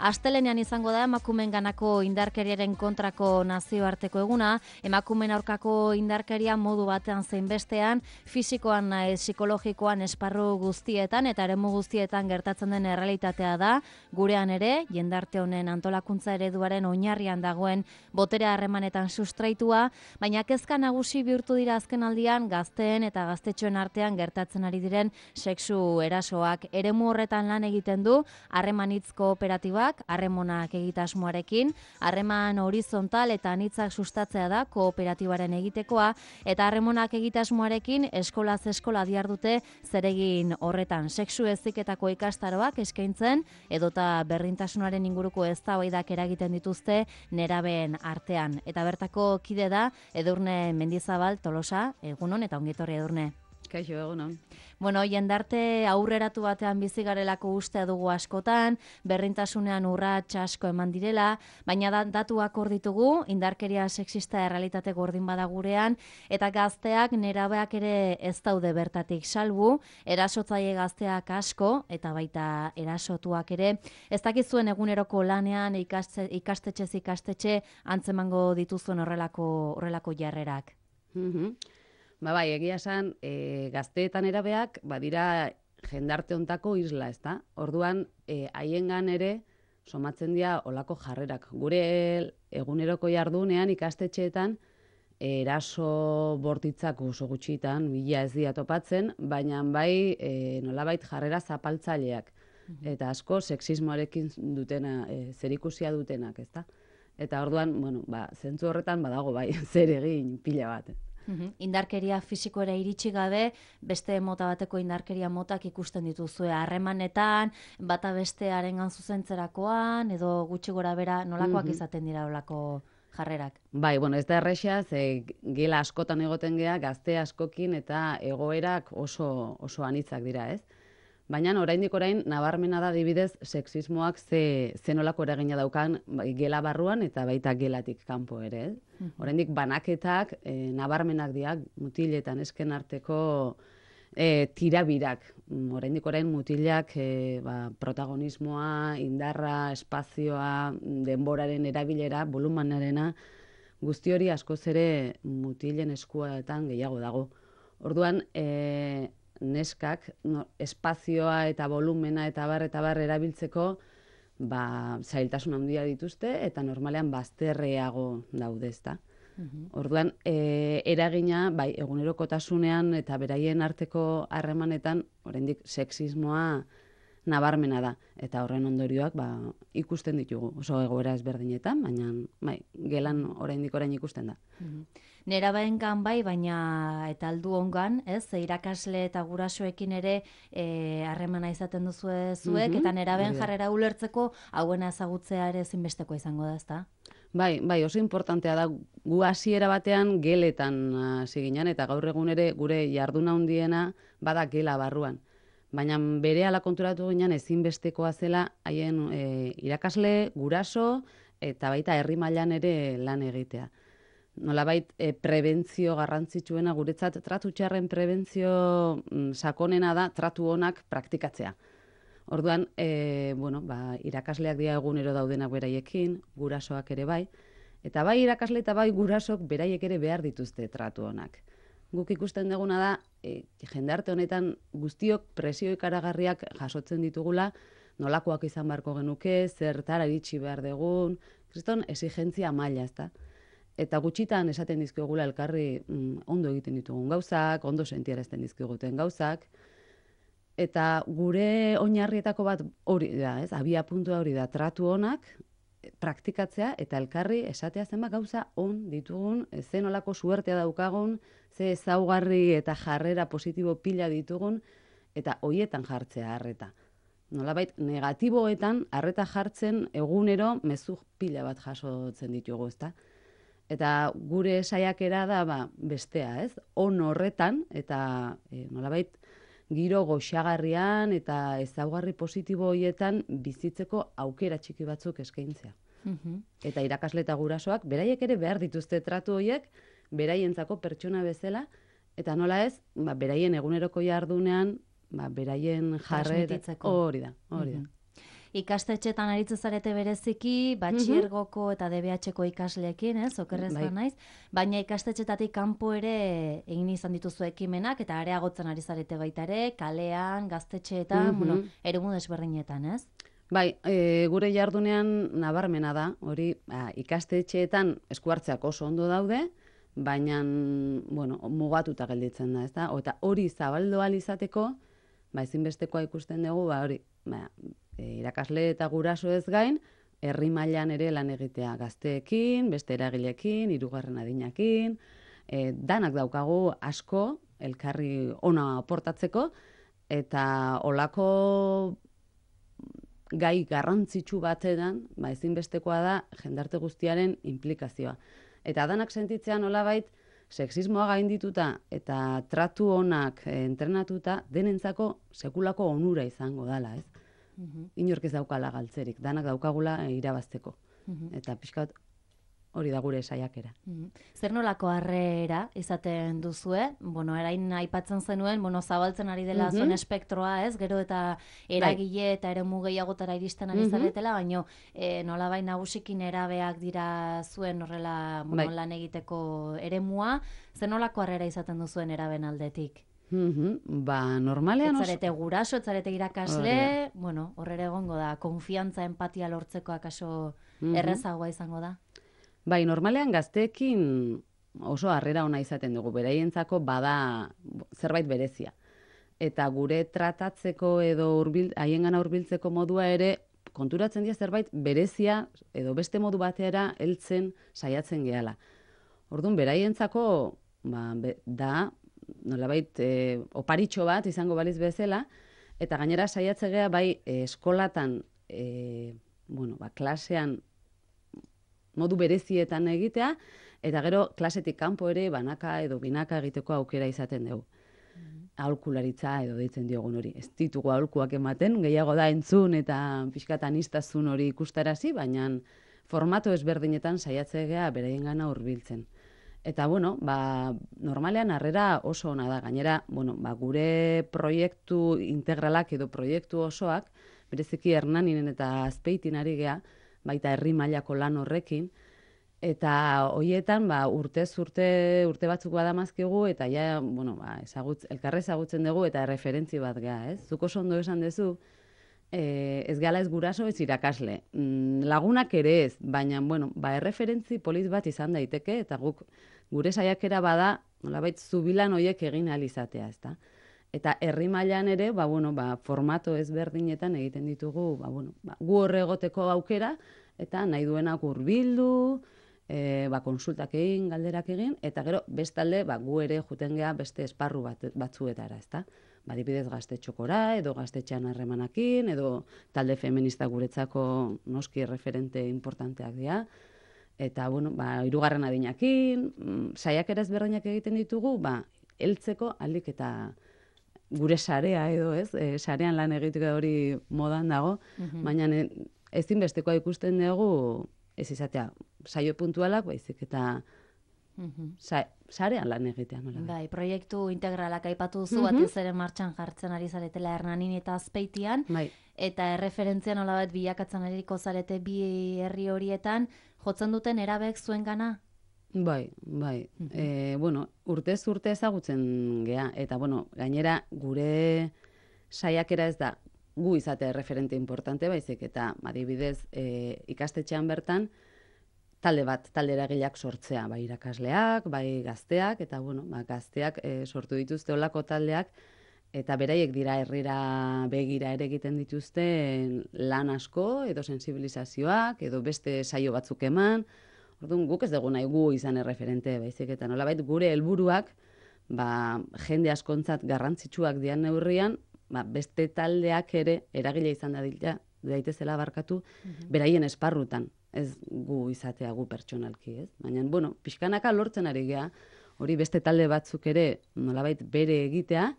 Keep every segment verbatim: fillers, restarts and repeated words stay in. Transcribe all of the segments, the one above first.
Astelenean izango da emakumeenganako indarkeriaren kontrako nazioarteko eguna. Emakumeen aurkako indarkeria modu batean zein bestean, fisikoan nahiz psikologikoan esparru guztietan eta eremu guztietan gertatzen den errealitatea da. Gurean ere, jendarte honen antolakuntza ereduaren oinarrian dagoen botere harremanetan sustraitua, baina kezka nagusi bihurtu dira azken aldian gazteen eta gaztetxoen artean gertatzen ari diren sexu erasoak. Eremu horretan lan egiten du harremanitz kooperatibak, harremonak egitasmoarekin, harreman horizontal eta anitzak sustatzea da kooperatibaren egitekoa, eta harremonak egitasmoarekin eskolaz eskola diardute zeregin horretan sexu heziketako ikastaroak eskaintzen edota berdintasunaren inguruko eztabaidak eragiten dituzte nerabeen artean. Eta bertako kide da Edurne Mendizabal Tolosa, egunon eta ongetorri Edurne. Kaixo, egunon. Bueno, jendarte aurreratu batean bizi garelako ustea dugu askotan, berrintasunean urrats asko eman direla, baina da, datuak hor ditugu, indarkeria sexista errealitate gordin bada gurean, eta gazteak nerabeak ere ez daude bertatik salbu, erasotzaile gazteak asko, eta baita erasotuak ere. Ez dakizuen eguneroko lanean ikaste, ikastetxez ikastetxe antzemango dituzuen horrelako, horrelako jarrerak. Mm-hmm. Ba bai, egia esan, e, gazteetan erabeak, badira jendarte hontako isla, ezta? Orduan, e, haiengan ere somatzen dira olako jarrerak. Gure eguneroko jardunean ikastetxeetan eraso bortitzak oso gutxitan, bila ez dira topatzen, baina bai e, nolabait jarrera zapaltzaileak. Eta asko sexismoarekin dutena, e, zerikusia dutenak, ezta? Eta orduan, bueno, ba, zentzu horretan badago bai, zer egin pila bat. Uhum. Indarkeria fisikoera iritsi gabe, beste mota bateko indarkeria motak ikusten dituzue harremanetan, bata bestearengan zuzentzerakoan, edo gutxi gora bera nolakoak mm-hmm. izaten dira olako jarrerak? Bai, bueno, ez da errexea, ze gela askotan egoten gea, gazte askokin eta egoerak oso, oso anitzak dira, ez? Baina oraindik orain nabarmena da adibidez sexismoak ze, ze nolako eragina daukan gela barruan eta baita gelatik kanpo ere. Eh? Mm-hmm. Oraindik banaketak e, nabarmenak diak mutiletan esken arteko e, tirabirak. Oraindik orain mutilak e, ba, protagonismoa, indarra, espazioa, denboraren erabilera, volumanarena, guzti hori askoz ere mutilen eskuetan gehiago dago. Orduan, e, neskak no, espazioa eta volumena eta bar eta bar erabiltzeko ba, zailtasun handia dituzte eta normalean bazterreago daude, ezta. Uh-huh. Orduan, e, eragina bai egunerokotasunean eta beraien arteko harremanetan oraindik sexismoa nabarmena da eta horren ondorioak ba, ikusten ditugu. Oso egoera ezberdinetan, baina bai, gelan oraindik orain ikusten da. Uh-huh. Nerabaengan bai, baina eta aldu ongan, ez? Irakasle eta gurasoekin ere harremana e, izaten duzu zuek, mm-hmm. eta neraben jarrera ulertzeko hauena ezagutzea ere ezinbesteko izango da, ezta? Bai, bai, oso importantea da gu hasiera batean geletan hasi ginen eta gaur egun ere gure jarduna handiena bada gela barruan. Baina berehala konturatu ginen ezinbestekoa zela haien e, irakasle, guraso eta baita herri mailan ere lan egitea. Nolabait e, prebentzio garrantzitsuena guretzat tratu txarren prebentzio mm, sakonena da tratu onak praktikatzea. Orduan, e, bueno, ba, irakasleak dira egunero daudenak beraiekin, gurasoak ere bai, eta bai irakasle eta bai gurasok beraiek ere behar dituzte tratu onak. Guk ikusten duguna da, e, jendarte honetan guztiok presio ikaragarriak jasotzen ditugula, nolakoak izan beharko genuke, zertara iritsi behar dugun, kriston exigentzia maila, ezta? Eta gutxitan esaten dizkigula elkarri mm, ondo egiten ditugun gauzak, ondo sentiarazten dizkiguten gauzak. Eta gure oinarrietako bat hori da, ez? Abia puntua hori da, tratu onak praktikatzea eta elkarri esatea zenbat gauza on ditugun, zen olako suertea daukagun, ze ezaugarri eta jarrera positibo pila ditugun, eta hoietan jartzea harreta. Nolabait, negatiboetan harreta jartzen egunero mezu pila bat jasotzen ditugu, ezta? Eta gure saiakera da ba, bestea, ez? On horretan, eta e, nolabait, giro goxagarrian eta ezaugarri positibo horietan bizitzeko aukera txiki batzuk eskaintzea. Uh-huh. Eta irakasle eta gurasoak, beraiek ere behar dituzte tratu horiek, beraientzako pertsona bezala, eta nola ez, ba, beraien eguneroko jardunean, ba, beraien jarrera hori da, hori da. Uh-huh. Ikastetxetan aritzen zarete bereziki, batxiergoko eta D B H-ko ikasleekin, ez, okerrez Bai. naiz, baina ikastetxetatik kanpo ere egin izan dituzu ekimenak, eta areagotzen ari zarete baita ere, kalean, gaztetxeetan, Mhm. bueno, eremu desberdinetan, ez? Bai, e, gure jardunean nabarmena da, hori ba, ikastetxeetan esku hartzeak oso ondo daude, baina bueno, mugatuta gelditzen da, ezta? Eta hori zabaldu ahal izateko, ba, ezinbestekoa ikusten dugu, ba, hori, ba, e, irakasle eta guraso ez gain, herri mailan ere lan egitea gazteekin, beste eragileekin, hirugarren adinakin, e, danak daukagu asko elkarri ona aportatzeko, eta olako gai garrantzitsu batean, ba, ezinbestekoa da jendarte guztiaren implikazioa. Eta danak sentitzean nolabait sexismoa gaindituta eta tratu onak eh, entrenatuta denentzako sekulako onura izango dala, ez? Mhm. Inork ez daukala galtzerik, danak daukagula eh, irabazteko. Mhm. Eta pixkat hori da gure saiakera. Mhm. Zer nolako harrera izaten duzue? Bueno, erain aipatzen zenuen, bueno, zabaltzen ari dela Mhm. zuen espektroa, ez? Gero eta eragile eta eremu gehiagotara iristen ari Mhm. zaretela, baino e, nolabait nagusikin erabeak dira zuen horrela, bueno, Bai. lan egiteko eremua. Zer nolako harrera izaten duzuen eraben aldetik? Mhm. Ba, normalean oso... Etzarete guraso, etzarete Hori irakasle, bueno, horrela egongo da, konfiantza, empatia lortzeko akaso Mhm. errezagoa izango da. Bai, normalean gazteekin oso harrera ona izaten dugu, beraientzako bada zerbait berezia. Eta gure tratatzeko edo hurbil, haiengana hurbiltzeko modua ere konturatzen dira zerbait berezia edo beste modu batera heltzen saiatzen gehala. Orduan, beraientzako ba, be, da nolabait e, oparitxo bat izango baliz bezala, eta gainera saiatze gea bai e, eskolatan, e, bueno, ba, klasean modu berezietan egitea, eta gero klasetik kanpo ere banaka edo binaka egiteko aukera izaten dugu. Aholkularitza edo deitzen diogun hori. Ez ditugu aholkuak ematen, gehiago da entzun eta pixkatan aniztasun hori ikustarazi, baina formato ezberdinetan saiatzea beraiengana hurbiltzen. Eta bueno, ba, normalean harrera oso ona da. Gainera, bueno, ba, gure proiektu integralak edo proiektu osoak, bereziki Hernaninen eta Azpeitin ari gea, baita herri mailako lan horrekin, eta hoietan ba, urtez urte urte batzuk badamazkigu eta ja, bueno, ba, ezagutz, elkarre ezagutzen dugu eta referentzi bat gea, ez? Zuk oso ondo esan duzu, e, ez gala ez guraso ez irakasle. Mm, lagunak ere ez, baina, bueno, ba, erreferentzi polit bat izan daiteke, eta guk gure saiakera bada, nolabait zubilan hoiek egin ahal izatea, ezta? Eta herri mailan ere, ba, bueno, ba, formato ezberdinetan egiten ditugu, ba, bueno, ba, gu horre egoteko aukera, eta nahi duenak hurbildu, e, ba, konsultak egin, galderak egin, eta gero bestalde ba, gu ere juten gea beste esparru bat, batzuetara, ezta? Ba, adibidez gaztetxokora, edo gaztetxean harremanakin, edo talde feminista guretzako noski referente importanteak dira, eta, bueno, ba, hirugarren adinakin, mm, saiakera ezberdinak egiten ditugu, ba, heltzeko alik eta gure sarea edo, ez? E, sarean lan egiteko hori modan dago, Mhm. baina e, ezinbestekoa ikusten dugu ez izatea saio puntualak, baizik eta Mhm. sa, sarean lan egitea, nola. Bai, proiektu integralak aipatu duzu, Mhm. batez ere martxan jartzen ari zaretela Hernanin eta Azpeitian, Bai. eta erreferentzia nolabait bilakatzen ariko zarete bi herri horietan, jotzen duten erabek zuengana? Bai, bai. Mhm. E, bueno, urtez urte ezagutzen gea, eta bueno, gainera gure saiakera ez da gu izatea referente importante, baizik eta adibidez e, ikastetxean bertan talde bat, talde eragileak sortzea, bai irakasleak, bai gazteak, eta bueno, ba, gazteak e, sortu dituzte olako taldeak, eta beraiek dira herrira begira ere egiten dituzte lan asko, edo sensibilizazioak, edo beste saio batzuk eman. Orduan, guk ez dugu nahi gu izan erreferente, baizik eta nolabait gure helburuak, ba, jende askontzat garrantzitsuak dian neurrian, ba, beste taldeak ere eragile izan dadila, daitezela barkatu, beraien esparrutan, ez gu izatea gu pertsonalki, ez? Baina, bueno, pixkanaka lortzen ari gea, hori beste talde batzuk ere nolabait bere egitea,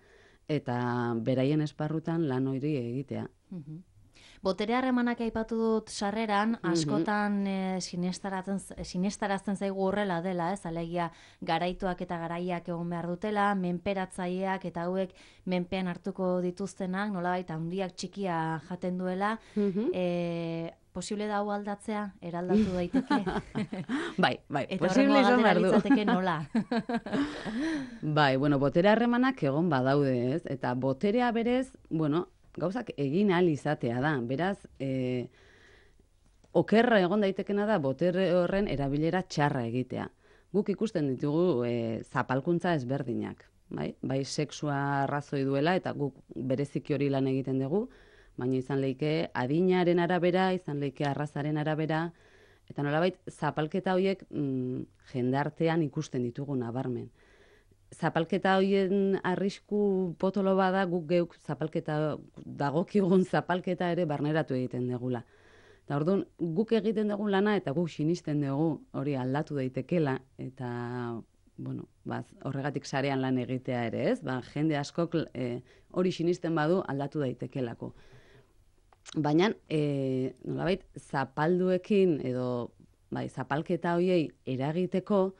eta beraien esparrutan lan hori egitea. Mhm. Botere harremanak aipatu dut sarreran, askotan e, sinestarazten zaigu horrela dela, ez, alegia garaituak eta garaiak egon behar dutela, menperatzaileak eta hauek menpean hartuko dituztenak, nolabait handiak txikia jaten duela, e, posible da hau aldatzea, eraldatu daiteke? Bai, bai, eta posible izan behar du. Eta litzateke nola? Bai, bueno, botere harremanak egon badaude, ez? Eta boterea berez, bueno, gauzak egin ahal izatea da. Beraz, e, okerra egon daitekena da botere horren erabilera txarra egitea. Guk ikusten ditugu e, zapalkuntza ezberdinak. Bai? Bai, sexua arrazoi duela eta guk bereziki hori lan egiten dugu, baina izan leike adinaren arabera, izan leike arrazaren arabera, eta nolabait zapalketa horiek mm, jendartean ikusten ditugu nabarmen. Zapalketa horien arrisku potolo bada, guk geuk zapalketa, dagokigun zapalketa ere barneratu egiten degula. Eta orduan, guk egiten dugun lana eta guk sinisten dugu hori aldatu daitekela, eta bueno, ba, horregatik sarean lan egitea ere, ez? Ba, jende askok e, hori sinisten badu aldatu daitekelako. Baina, e, nolabait, zapalduekin edo bai, zapalketa horiei eragiteko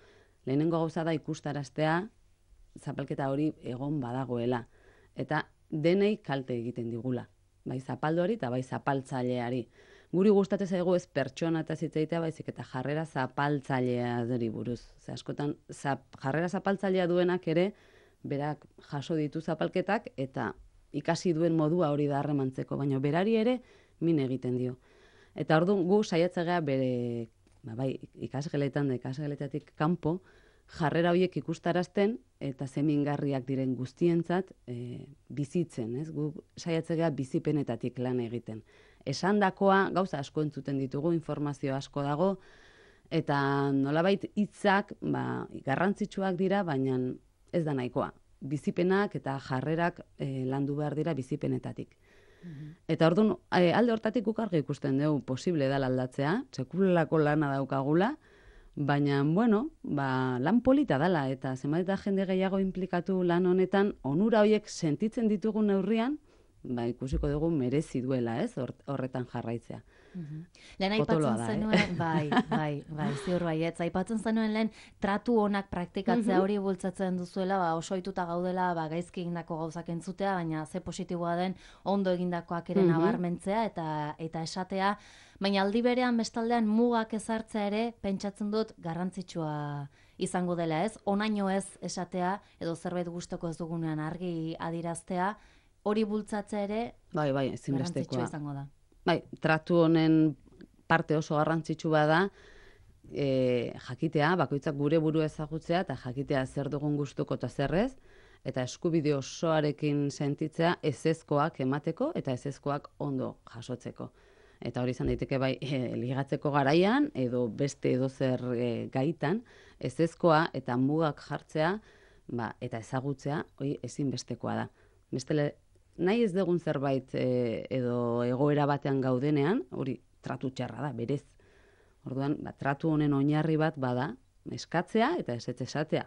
lehenengo gauza da ikustaraztea zapalketa hori egon badagoela. Eta denei kalte egiten digula. Bai zapalduari eta bai zapaltzaileari. Guri gustatzen zaigu ez pertsona eta zitzaitea baizik eta jarrera zapaltzaileari buruz. Ze askotan zap, jarrera zapaltzailea duenak ere berak jaso ditu zapalketak eta ikasi duen modua hori da harremantzeko, baina berari ere min egiten dio. Eta orduan gu saiatzea bere ba, bai, ikasgeletan da ikasgeletatik kanpo jarrera horiek ikustarazten eta zemingarriak diren guztientzat e, bizitzen, ez? Gu saiatzea bizipenetatik lan egiten. Esandakoa gauza asko entzuten ditugu, informazio asko dago, eta nolabait hitzak ba, garrantzitsuak dira, baina ez da nahikoa. Bizipenak eta jarrerak e, landu behar dira bizipenetatik. Mm-hmm. Eta orduan, e, alde hortatik guk argi ikusten dugu posible dela aldatzea, sekulako lana daukagula, baina, bueno, ba, lan polita dela, eta zenbat eta jende gehiago implikatu lan honetan, onura horiek sentitzen ditugun neurrian, ba, ikusiko dugu merezi duela, ez, horretan jarraitzea. Mm-hmm. Lehen aipatzen zenuen, eh? bai, bai, bai, ziur baietz, aipatzen zenuen lehen tratu onak praktikatzea mm-hmm. hori bultzatzen duzuela, ba, oso ohituta gaudela, ba, gaizki egindako gauzak entzutea, baina ze positiboa den ondo egindakoak ere mm-hmm. nabarmentzea eta eta esatea, baina aldi berean bestaldean mugak ezartzea ere pentsatzen dut garrantzitsua izango dela, ez? Onaino ez esatea edo zerbait gustoko ez dugunean argi adiraztea, hori bultzatzea ere bai, bai, garrantzitsua izango da. Bai, tratu honen parte oso garrantzitsu bada, e, jakitea, bakoitzak gure buru ezagutzea eta jakitea zer dugun gustuko eta zerrez, eta eskubide osoarekin sentitzea ezezkoak emateko eta ezezkoak ondo jasotzeko. Eta hori izan daiteke bai e, ligatzeko garaian edo beste edozer e, gaitan, ezezkoa eta mugak jartzea ba, eta ezagutzea hori ezinbestekoa da. Bestele, nahi ez dugun zerbait e, edo egoera batean gaudenean, hori tratu txarra da, berez. Orduan, ba, tratu honen oinarri bat bada, eskatzea eta ez esatea.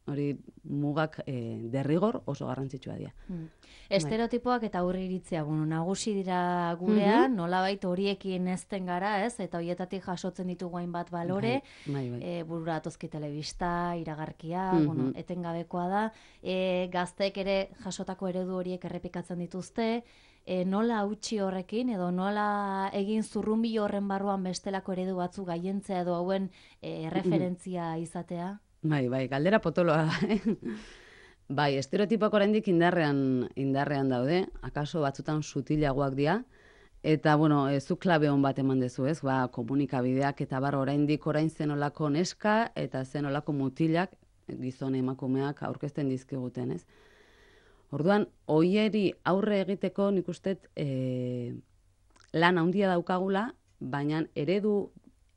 Hori mugak e, derrigor oso garrantzitsua dira. Hmm. Estereotipoak eta aurre iritzia, bueno, nagusi dira gurean, mm-hmm. nolabait horiekin ezten gara, ez? Eta horietatik jasotzen ditugu hainbat balore, bai, bai, bai. E, burura atozki telebista, iragarkia, mm-hmm. bueno, etengabekoa da, e, gazteek ere jasotako eredu horiek errepikatzen dituzte, e, nola hautsi horrekin, edo nola egin zurrunbi horren barruan bestelako eredu batzu gaientzea edo hauen e, referentzia izatea? Bai, bai, galdera potoloa da, eh? Bai, estereotipoak oraindik indarrean, indarrean daude, akaso batzutan sutilagoak dira, eta, bueno, zu klabe hon bat eman dezu, ez? Ba, komunikabideak eta bar oraindik orain zenolako neska eta zenolako mutilak, gizon emakumeak aurkezten dizkiguten, ez? Orduan, hoieri aurre egiteko nik ustet e, lan handia daukagula, baina eredu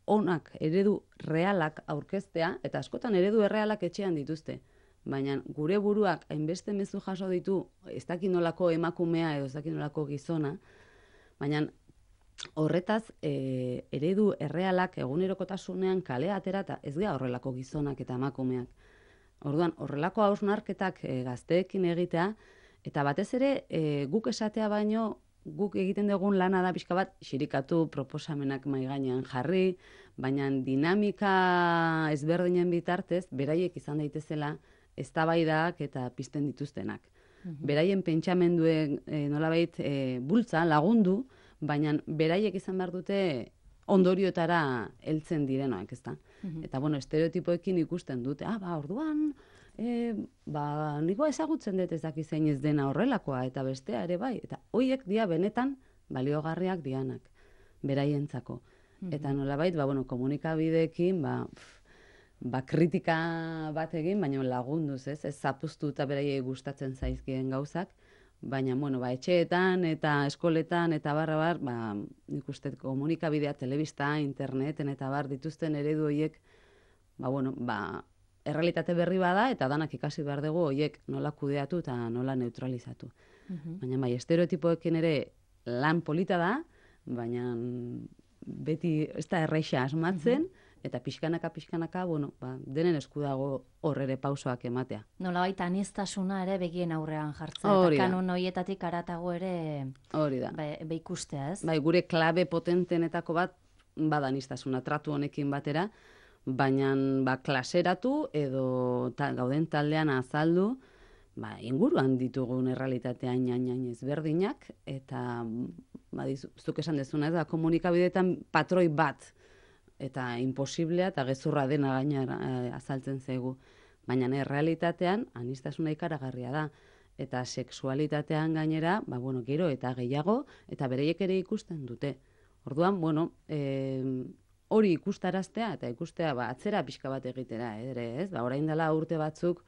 onak, eredu realak aurkeztea, eta askotan eredu errealak etxean dituzte. Baina gure buruak hainbeste mezu jaso ditu, ez dakit nolako emakumea edo ez dakit nolako gizona, baina horretaz e, eredu errealak egunerokotasunean kalea atera eta ez gara horrelako gizonak eta emakumeak. Orduan, horrelako hausnarketak e, gazteekin egitea, eta batez ere e, guk esatea baino guk egiten dugun lana da pixka bat, xirikatu, proposamenak mai gainean jarri, baina dinamika ezberdinen bitartez, beraiek izan daitezela eztabaidak eta pizten dituztenak. Beraien pentsamenduen e, nolabait e, bultza lagundu, baina beraiek izan behar dute ondorioetara heltzen direnoak, ezta? Eta, bueno, estereotipoekin ikusten dute, ah, ba, orduan, e, ba, niko ezagutzen dut ez daki zein ez dena horrelakoa, eta bestea ere bai, eta hoiek dia benetan baliogarriak dianak, beraientzako. Eta nolabait, ba, bueno, komunikabideekin, ba, pff, ba, kritika bat egin, baina lagunduz, ez? Ez zapuztu eta beraiei gustatzen zaizkien gauzak, baina, bueno, ba, etxeetan eta eskoletan eta barra bar, ba, nik uste komunikabidea, telebista, interneten eta bar dituzten eredu horiek, ba, bueno, ba, errealitate berri bada eta danak ikasi behar dugu horiek nola kudeatu eta nola neutralizatu. Baina, bai, estereotipoekin ere lan polita da, baina beti ez da erreixa asmatzen, eta pixkanaka, pixkanaka, bueno, ba, denen esku dago hor ere pausoak ematea. Nolabait aniztasuna ere begien aurrean jartzen, eta kanon horietatik aratago ere hori da. Be, be ikustea, ez? Bai, gure klabe potentenetako bat bada aniztasuna tratu honekin batera, baina ba, klaseratu edo ta, gauden taldean azaldu, ba, inguruan ditugun errealitatean hain ezberdinak, eta ba, zuk esan dezuna, da, komunikabideetan patroi bat, eta imposiblea eta gezurra dena gainera eh, azaltzen zaigu. Baina errealitatean aniztasuna ikaragarria da. Eta sexualitatean gainera, ba, bueno, gero eta gehiago, eta bereiek ere ikusten dute. Orduan, bueno, eh, hori ikustaraztea, eta ikustea ba, atzera pixka bat egitera, ere, ez? Ba, orain dela urte batzuk,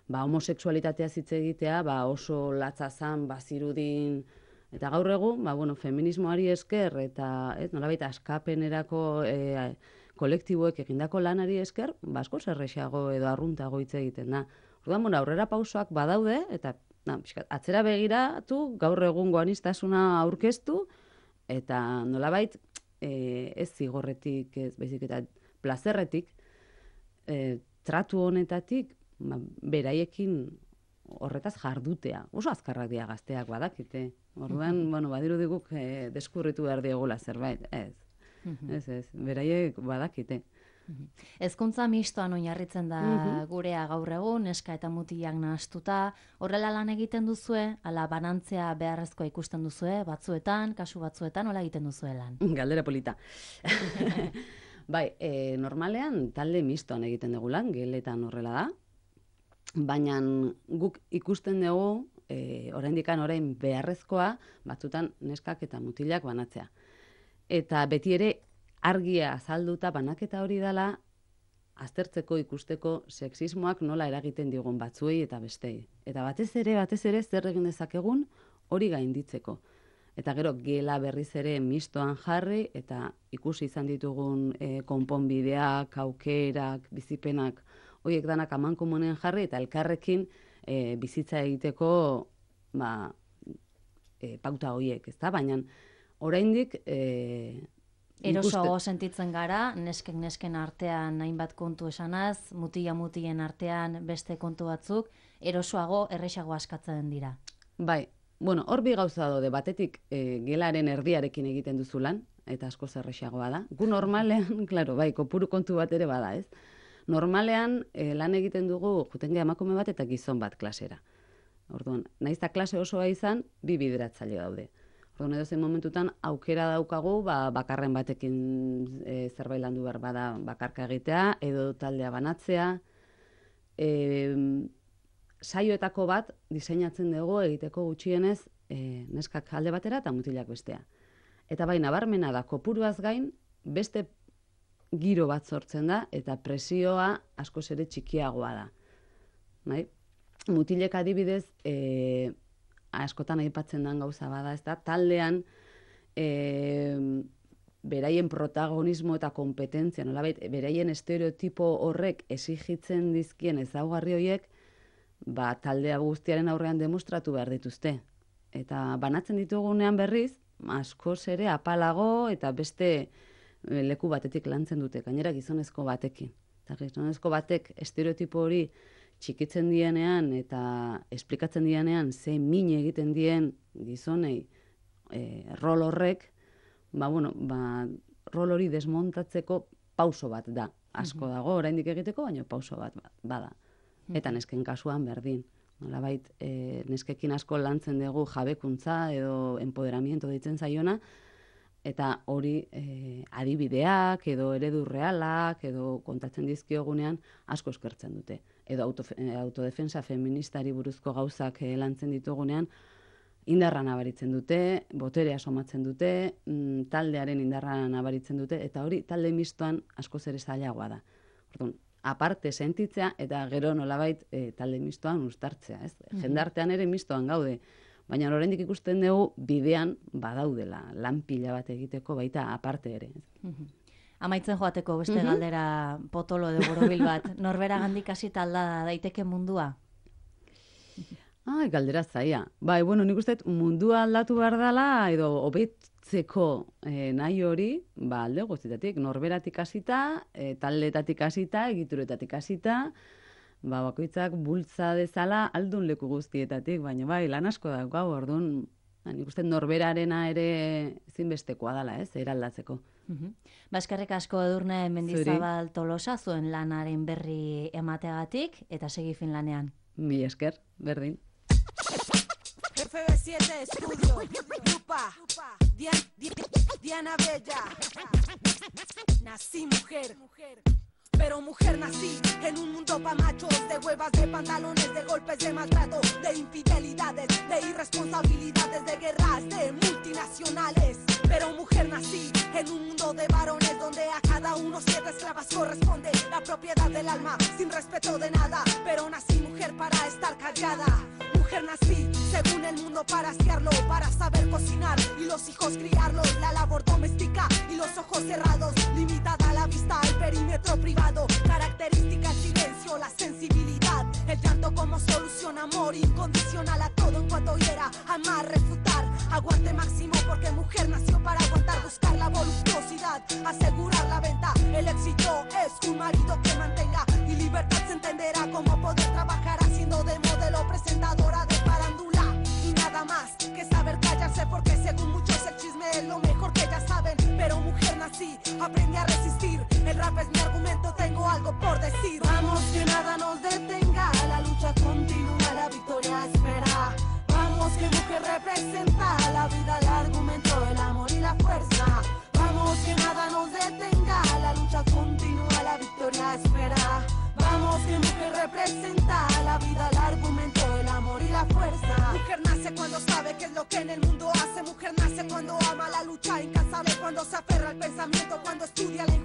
ba, homoseksualitatea hitz egitea, ba, oso latza zan, bazirudin. Eta gaur egun, ba, bueno, feminismoari esker eta ez, nolabait askapenerako e, kolektiboek egindako lanari esker, ba, asko zerrexago edo arruntago hitz egiten da. Orduan, bueno, aurrera pausoak badaude, eta na, atzera begiratu, gaur egungo aniztasuna aurkeztu, eta nolabait e, ez zigorretik, ez baizik eta plazerretik, e, tratu honetatik, ba, beraiekin horretaz jardutea. Oso azkarrak dira gazteak badakite. Orduan, bueno, badiru diguk eh, deskurritu behar diegula zerbait. Ez, ez, ez, beraiek badakite. Hezkuntza mistoan oinarritzen da gurea gaur egun, neska eta mutilak nahastuta. Horrela lan egiten duzue, ala banantzea beharrezkoa ikusten duzue, batzuetan, kasu batzuetan, hola egiten duzue lan. Galdera polita. Bai, e, normalean talde mistoan egiten dugu lan, geletan horrela da. Baina guk ikusten dugu, e, oraindikan orain beharrezkoa, batzutan neskak eta mutilak banatzea. Eta beti ere argia azalduta banaketa hori dela, aztertzeko ikusteko sexismoak nola eragiten digun batzuei eta bestei. Eta batez ere, batez ere, zer egin dezakegun hori gainditzeko. Eta gero gela berriz ere mistoan jarri, eta ikusi izan ditugun e, konponbideak, aukerak, bizipenak, horiek danak amankomunean jarri, eta elkarrekin e, bizitza egiteko ba, e, pauta horiek, ezta? Baina oraindik e, erosoago sentitzen gara, nesken nesken artean hainbat kontu esanaz, mutila mutilen artean beste kontu batzuk, erosoago errexago askatzen dira. Bai, bueno, hor bi gauza daude, batetik e, gelaren erdiarekin egiten duzu lan, eta asko zerrexagoa da. Gu normalean, claro, bai, kopuru kontu bat ere bada, ez? Normalean eh, lan egiten dugu jutenge emakume bat eta gizon bat klasera. Orduan, naiz eta klase osoa izan, bi bideratzaile daude. Orduan, edo zen momentutan aukera daukagu, ba, bakarren batekin e, zerbait landu behar bada bakarka egitea, edo taldea banatzea. E, saioetako bat diseinatzen dugu egiteko gutxienez e, neskak alde batera eta mutilak bestea. Eta bai, nabarmena da, kopuruaz gain, beste giro bat sortzen da, eta presioa askoz ere txikiagoa da. Bai? Mutilek adibidez, e, askotan aipatzen den gauza bada, ez da, taldean e, beraien protagonismo eta kompetentzia, nolabait, beraien estereotipo horrek exigitzen dizkien ezaugarri horiek, ba, taldea guztiaren aurrean demostratu behar dituzte. Eta banatzen ditugunean berriz, askoz ere apalago eta beste leku batetik lantzen dute, gainera gizonezko batekin. Eta gizonezko batek estereotipo hori txikitzen dienean eta esplikatzen dienean ze min egiten dien gizonei e, rol horrek, ba, bueno, ba, rol hori desmontatzeko pauso bat da. Asko dago, oraindik egiteko, baina pauso bat bada. Eta nesken kasuan berdin. Nolabait, e, neskekin asko lantzen dugu jabekuntza edo empoderamiento deitzen zaiona, eta hori e, adibideak edo eredu realak edo kontatzen dizkiogunean asko eskertzen dute. Edo auto, autodefensa feministari buruzko gauzak e, lantzen ditugunean indarra nabaritzen dute, boterea somatzen dute, mm, taldearen indarra nabaritzen dute, eta hori talde mistoan askoz ere zailagoa da. Orduan, aparte sentitzea eta gero nolabait e, talde mistoan uztartzea, ez? Mm-hmm. Jendartean ere mistoan gaude, baina oraindik ikusten dugu bidean badaudela lan pila bat egiteko baita aparte ere. Mm-hmm. Amaitzen joateko beste mm-hmm. galdera potolo edo borobil bat, norberagandik hasita alda daiteke mundua? Ai, galdera zaia. Bai, bueno, nik uste mundua aldatu behar dela edo hobetzeko eh, nahi hori, ba, alde guztietatik, norberatik hasita, e, taldetatik hasita, egituretatik hasita, ba, bakoitzak bultza dezala aldun leku guztietatik, baina bai, lan asko da, gau, orduan, nik uste norberarena ere zinbestekoa dela, ez, eraldatzeko. Uhum. Baskarrik asko Edurne Mendizabal Tolosa zuen lanaren berri emateagatik eta segi Finlanean. Mi esker, berdin. F B siete Estudio, Lupa, Diana, Diana Bella. Nací mujer, pero mujer nací en un mundo pa' machos, de huevas, de pantalones, de golpes, de maltrato, de infidelidades, de irresponsabilidades, de guerras, de multinacionales. Pero mujer nací en un mundo de varones donde a cada uno siete esclavas corresponde la propiedad del alma, sin respeto de nada. Pero nací mujer para estar callada. Mujer nací, según el mundo, para asearlo, para saber cocinar y los hijos criarlos. La labor doméstica y los ojos cerrados, limitada la vista al perímetro privado. Característica el silencio, la sensibilidad, el llanto como solución, amor incondicional a todo en cuanto hiera, amar, refutar, aguante máximo porque mujer nació para aguantar, buscar la voluptuosidad, asegurar la venta. El éxito es un marido que mantenga y libertad se entenderá como poder trabajar haciendo de modelo, presentadora de farándula y nada más que saber callarse porque según muchos el chisme es lo mejor que ya saben. Pero mujer nací, aprendí a resistir, el rap es mi argumento, tengo algo por decir. Vamos que nada nos detenga, la lucha continúa, la victoria espera. Vamos que mujer representa la vida, el argumento, el amor y la fuerza. Vamos que nada nos detenga, la lucha continúa, la victoria espera. Vamos que mujer representa la vida, el argumento, el amor y la fuerza. Mujer nace cuando sabe qué es lo que en el mundo hace. Mujer nace cuando ama la lucha incansable, cuando se aferra al pensamiento, cuando estudia la